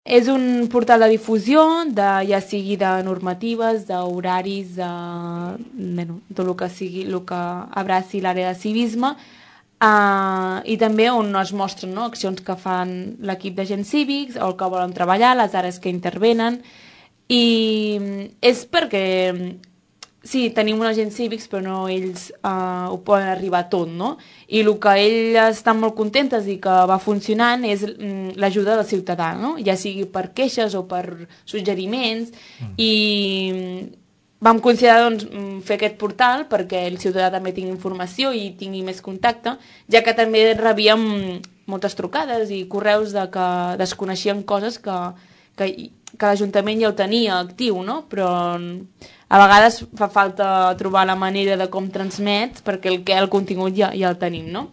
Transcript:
És un portal de difusió, ja sigui de normatives, d'horaris, tot el que sigui, el que abraci l'àrea de civisme, i també on es mostren accions que fan l'equip d'agents cívics, o el que volen treballar, les àrees que intervenen, i és perquè sí, tenim uns agents cívics, però no ells ho poden arribar tot, no? I el que ells estan molt contentes i que va funcionant és l'ajuda del ciutadà, no? Ja sigui per queixes o per suggeriments, i vam considerar fer aquest portal perquè el ciutadà també tingui informació i tingui més contacte, ja que també rebíem moltes trucades i correus de que desconeixien coses que l'Ajuntament ja ho tenia actiu, no? Però a vegades fa falta trobar la manera de com transmet perquè el contingut ja el tenim, no?